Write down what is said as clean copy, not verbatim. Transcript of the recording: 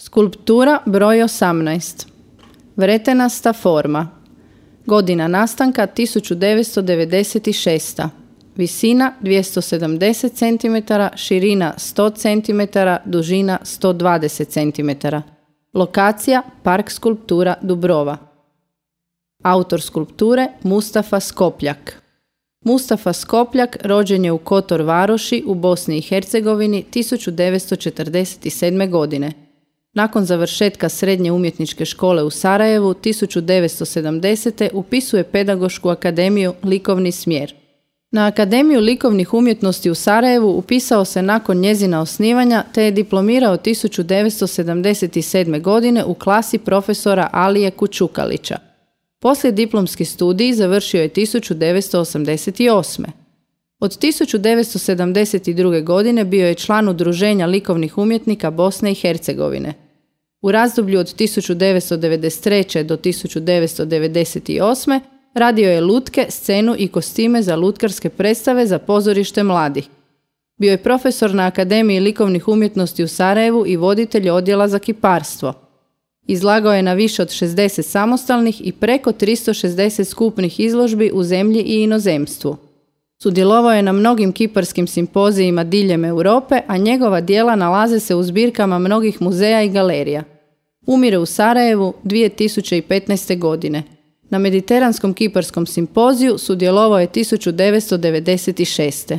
Skulptura broj 18. Vretenasta forma. Godina nastanka 1996. Visina 270 cm, širina 100 cm, dužina 120 cm. Lokacija Park skulptura Dubrova. Autor skulpture Mustafa Skopljak. Mustafa Skopljak rođen je u Kotor Varoši u Bosni i Hercegovini 1947. godine. Nakon završetka Srednje umjetničke škole u Sarajevu 1970. upisuje Pedagošku akademiju Likovni smjer. Na Akademiju likovnih umjetnosti u Sarajevu upisao se nakon njezina osnivanja te je diplomirao 1977. godine u klasi profesora Alije Kučukalića. Poslije diplomski studij završio je 1988. Od 1972. godine bio je član Udruženja likovnih umjetnika Bosne i Hercegovine. U razdoblju od 1993. do 1998. radio je lutke, scenu i kostime za lutkarske predstave za pozorište mladih. Bio je profesor na Akademiji likovnih umjetnosti u Sarajevu i voditelj odjela za kiparstvo. Izlagao je na više od 60 samostalnih i preko 360 skupnih izložbi u zemlji i inozemstvu. Sudjelovao je na mnogim kiparskim simpozijima diljem Europe, a njegova djela nalaze se u zbirkama mnogih muzeja i galerija. Umire u Sarajevu 2015. godine. Na Mediteranskom kiparskom simpoziju sudjelovao je 1996.